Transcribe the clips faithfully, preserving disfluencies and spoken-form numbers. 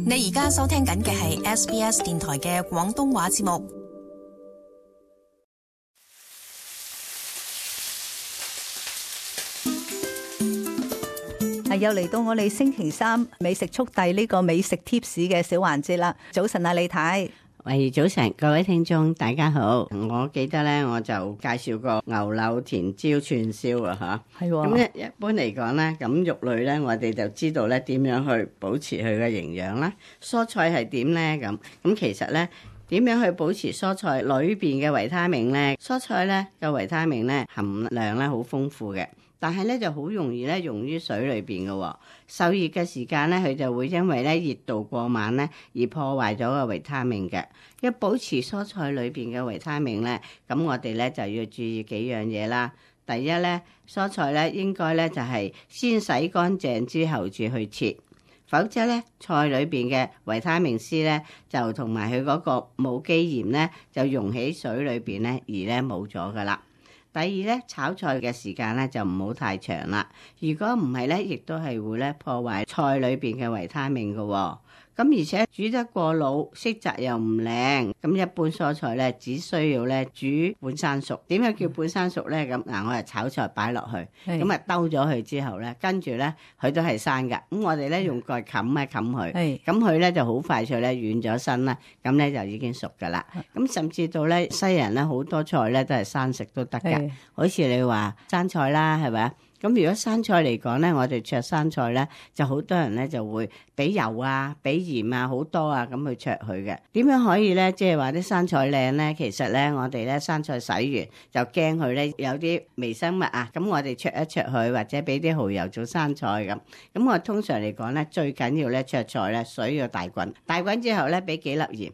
你而家收聽緊嘅係 S B S 電台嘅廣東話節目。又嚟到我哋星期三美食速遞呢個美食貼士嘅小環節啦。早晨啊，李太。喂，早晨，各位聽眾大家好。我記得咧，我就介紹過牛柳甜椒串燒啊，吓。係喎。咁一一般嚟講咧，咁肉類咧，我哋就知道咧點樣去保持佢嘅營養啦。蔬菜係點咧？咁咁其實咧，點樣去保持蔬菜裏邊嘅維他命咧？蔬菜咧嘅維他命咧含量咧好豐富嘅。但係咧就好容易咧溶於水裏邊嘅喎，受熱嘅時間咧佢就會因為咧熱度過猛咧而破壞咗個維他命嘅。要保持蔬菜裏邊嘅維他命咧，咁我哋咧就要注意幾樣嘢啦。第一咧，蔬菜咧應該咧就係先洗乾淨之後至去切，否則咧菜裏邊嘅維他命 C 咧就同埋佢嗰個無機鹽咧就溶喺水裏邊咧而咧冇咗噶啦。第二咧，炒菜嘅時間咧就唔好太長啦。如果唔係咧，亦都係會咧破壞菜裏邊嘅維他命嘅喎。咁而且煮得過老，色澤又唔靚。咁一般蔬菜咧，只需要咧煮半生熟。點樣叫半生熟咧？咁嗱，我係炒菜擺落去，咁啊兜咗佢之後咧，跟住咧佢都係生㗎。咁我哋咧用蓋冚一冚佢，咁佢咧就好快脆咧軟咗身啦。咁咧就已經熟㗎啦。咁甚至到咧西人咧好多菜咧都係生食都得㗎。好似你話生菜啦，係咪啊？咁如果生菜嚟講咧，我哋灼生菜咧，就好多人咧就會俾油啊、俾鹽啊好多啊咁去灼佢嘅。點樣可以咧，即係話啲生菜靚咧？其實咧，我哋咧生菜洗完就驚佢咧有啲微生物啊，咁我哋灼一灼佢，或者俾啲蠔油做生菜咁。咁我通常嚟講咧，最緊要咧灼菜咧水要大滾，大滾之後咧俾幾粒鹽。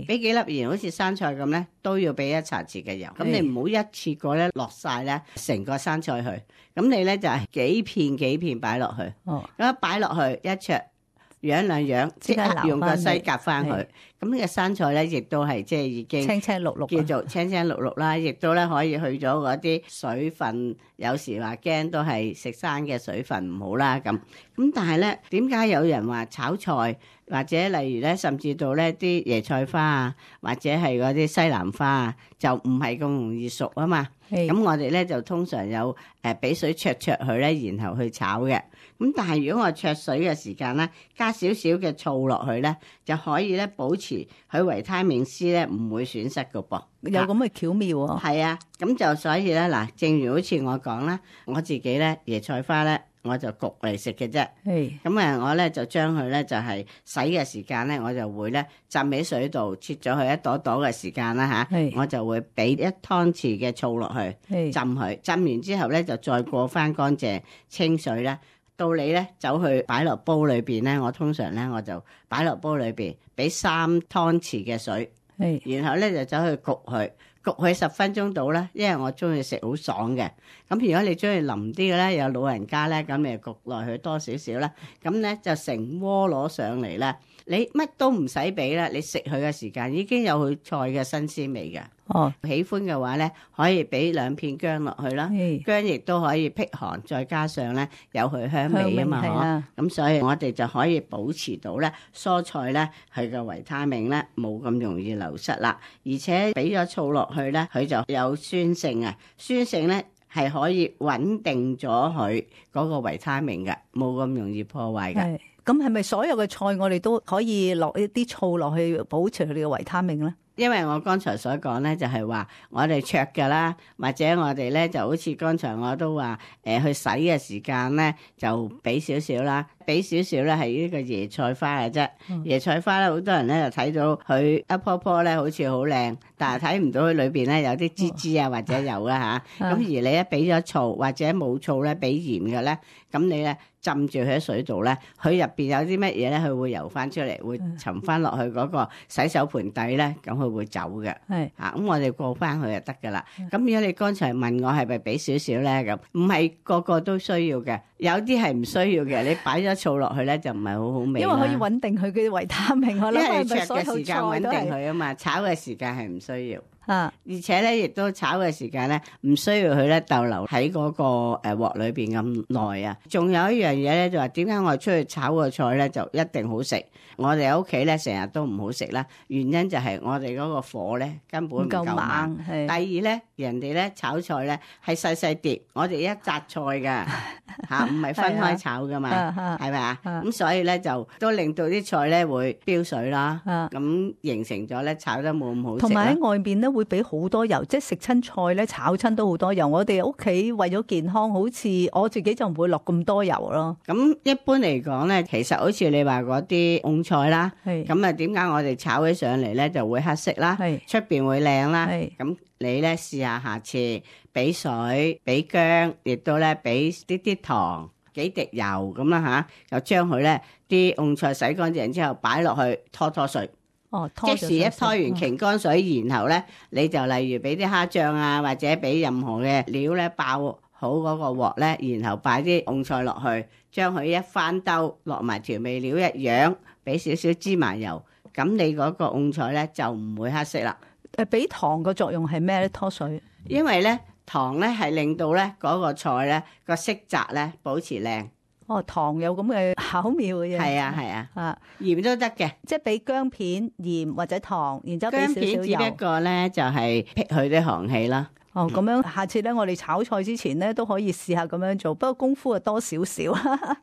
俾幾粒鹽，好似生菜咁咧，都要俾一茶匙嘅油。咁你唔好一次過咧落晒咧成個生菜去。咁你咧就係幾片幾片擺落去。哦，咁一擺落去一灼，養兩養，即刻用個篩夾翻佢。咁呢個生菜咧，亦都係即係已經青青綠綠，叫做青青綠綠啦。亦都咧可以去咗嗰啲水分。有時話驚都係食生嘅水分唔好啦咁。咁但係咧，點解有人話炒菜或者例如咧，甚至到咧啲椰菜花啊，或者係嗰啲西蘭花啊，就唔係咁容易熟啊嘛？咁我哋咧就通常有誒俾水焯焯佢咧，然後去炒嘅。咁但係如果我焯水嘅時間咧，加少少嘅醋落去咧，就可以咧保持佢維他命 C 咧唔會損失噶噃。有咁嘅巧妙啊！係啊，咁就所以咧嗱，正如好似我講啦，我自己咧椰菜花咧，我就焗嚟食嘅啫。咁啊，我咧就將佢咧就係洗嘅時間咧，我就會咧浸喺水度，切咗佢一朵朵嘅時間啦吓，我就會俾一湯匙嘅醋落去浸佢，浸完之後咧就再過翻乾淨清水啦。到你咧走去擺落煲裏邊咧，我通常咧我就擺落煲裏邊，俾三湯匙嘅水。然後咧就走去焗佢，焗佢十分鐘到啦，因為我中意食好爽嘅。咁如果你中意腍啲嘅咧，有老人家咧，咁你焗落去多少少啦。咁咧就成鍋攞上嚟啦。你乜都唔使俾啦，你食佢嘅時間已經有佢菜嘅新鮮味嘅。哦，喜歡嘅話咧，可以俾兩片薑落去啦。薑亦都可以辟寒，再加上咧有佢香味啊嘛。咁所以我哋就可以保持到咧蔬菜咧佢嘅維他命咧冇咁容易流失啦。而且俾咗醋落去咧，佢就有酸性啊，酸性咧係可以穩定咗佢嗰個維他命嘅，冇咁容易破壞嘅。咁係咪所有嘅菜我哋都可以落一啲醋落去保持佢哋嘅維他命咧？因為我剛才所講咧，就係話我哋灼㗎啦，或者我哋咧就好似剛才我都話誒、呃、去洗嘅時間咧，就俾少少啦，俾少少咧係呢個椰菜花嘅啫。嗯、椰菜花咧，好多人咧就睇到佢一樖樖咧好似好靚，但係睇唔到佢裏邊咧有啲枝枝啊或者有啦嚇。咁、嗯、而你一俾咗醋或者冇醋咧，俾鹽嘅咧，咁你咧浸住佢喺水度咧，佢入邊有啲乜嘢咧，佢會游翻出嚟，會沉翻落去嗰個洗手盆底咧，咁佢會走嘅。係啊，咁我哋過翻去就得噶啦。咁如果你剛才問我係咪俾少少咧，咁唔係個個都需要嘅，有啲係唔需要嘅。你擺咗醋落去咧，就唔係好好味。因為可以穩定佢嘅維他命，我諗因為灼嘅時間穩定佢啊嘛，炒嘅時間係唔需要。啊，而且咧亦都炒嘅時間咧唔需要佢咧逗留喺嗰個誒鑊裏邊咁耐啊。仲有一樣嘢咧就話點解我哋出去炒個菜咧就一定好食，我哋喺屋企咧成日都唔好食啦。原因就係我哋嗰個火咧根本唔夠猛。第二咧，人哋咧炒菜咧係細細碟，我哋一紮菜噶吓，唔係分開炒噶嘛，係咪啊？咁所以咧就都令到啲菜咧會飆水啦，咁形成咗咧炒得冇咁好食。同埋喺外邊咧會俾好多油，即係食親菜咧炒親都好多油。我哋屋企為咗健康，好似我自己就唔會落咁多油咯。咁一般嚟講咧，其實好似你話嗰啲蕹菜啦，咁啊點解我哋炒起上嚟咧就會黑色啦，出邊會靚啦？咁你咧試下下次俾水俾薑，亦都咧俾啲啲糖幾滴油咁啦吓，又將佢咧啲蕹菜洗乾淨之後擺落去拖拖水。哦，即時一拖完擎乾水，嗯、然後咧你就例如俾啲蝦醬啊，或者俾任何嘅料咧爆好嗰個鑊咧，然後擺啲蕹菜落去，將佢一翻兜落埋調味料一樣，俾少少芝麻油，咁你嗰個蕹菜咧就唔會黑色啦。誒，俾糖個作用係咩咧？拖水，因為咧糖咧係令到咧嗰個菜咧個色澤咧保持靚。哦，糖有咁嘅巧妙嘅嘢。係啊係啊，啊鹽都得嘅，即係俾姜片、鹽或者糖，然之後俾少少油。姜片只不過咧就係辟佢啲寒氣啦。哦，咁樣下次咧，我哋炒菜之前咧都可以試下咁樣做，不過功夫啊多少少。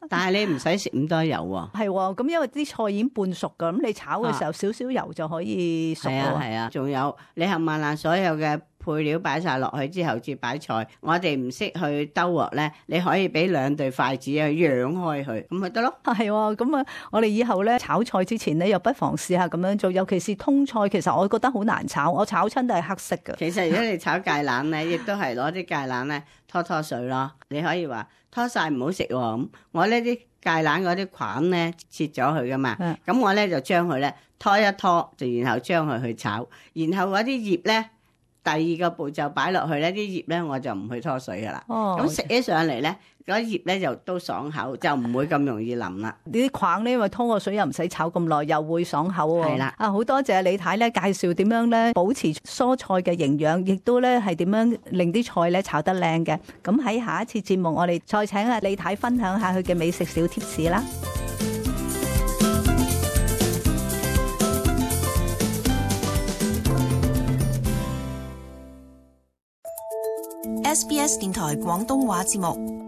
但係你唔使食咁多油喎。係喎，咁因為啲菜已經半熟噶，咁你炒嘅時候少少油就可以熟咯。係啊係啊，仲有你冚唪唥所有嘅配料擺晒落去之後，至擺菜。我哋唔識去兜鑊咧，你可以俾兩對筷子去揚開佢，咁咪得咯。係喎，咁啊，我哋以後咧炒菜之前咧，又不妨試下咁樣做。尤其是通菜，其實我覺得好難炒，我炒親都係黑色㗎。其實如果你炒芥蘭咧，亦都係攞啲芥蘭咧拖拖水咯。你可以話拖晒唔好食喎，咁我呢啲芥蘭嗰啲梗咧切咗佢噶嘛，咁、嗯、我咧就將佢咧拖一拖，就然後將佢去炒，然後嗰啲葉咧。第二個步驟擺落去咧，啲葉咧我就唔去拖水噶啦。哦，咁食起上嚟咧，嗰葉咧就都爽口，就唔會咁容易腍啦。呢啲框咧，因為拖個水又唔使炒咁耐，又會爽口喎。係啦，啊好多謝李太咧介紹點樣咧保持蔬菜嘅營養，亦都咧係點樣令啲菜咧炒得靚嘅。咁喺下一次節目，我哋再請阿李太分享下佢嘅美食小貼士啦。S B S 電台廣東話節目。